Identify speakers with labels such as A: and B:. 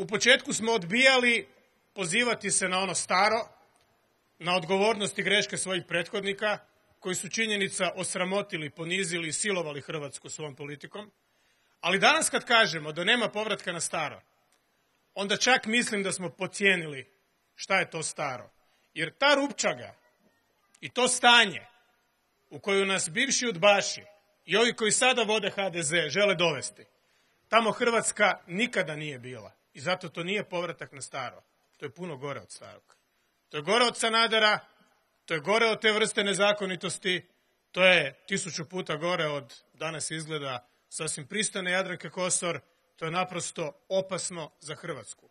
A: U početku smo odbijali pozivati se na ono staro, na odgovornost i greške svojih prethodnika, koji su činjenica osramotili, ponizili i silovali Hrvatsku svojom politikom. Ali danas kad kažemo da nema povratka na staro, onda čak mislim da smo podcijenili šta je to staro. Jer ta rupčaga i to stanje u koju nas bivši udbaši i ovi koji sada vode HDZ žele dovesti, tamo Hrvatska nikada nije bila. I zato to nije povratak na staro. To je puno gore od starog. To je gore od Sanadera, to je gore od te vrste nezakonitosti, to je 1000 puta gore od, danas izgleda, sasvim pristojne Jadranke Kosor. To je naprosto opasno za Hrvatsku.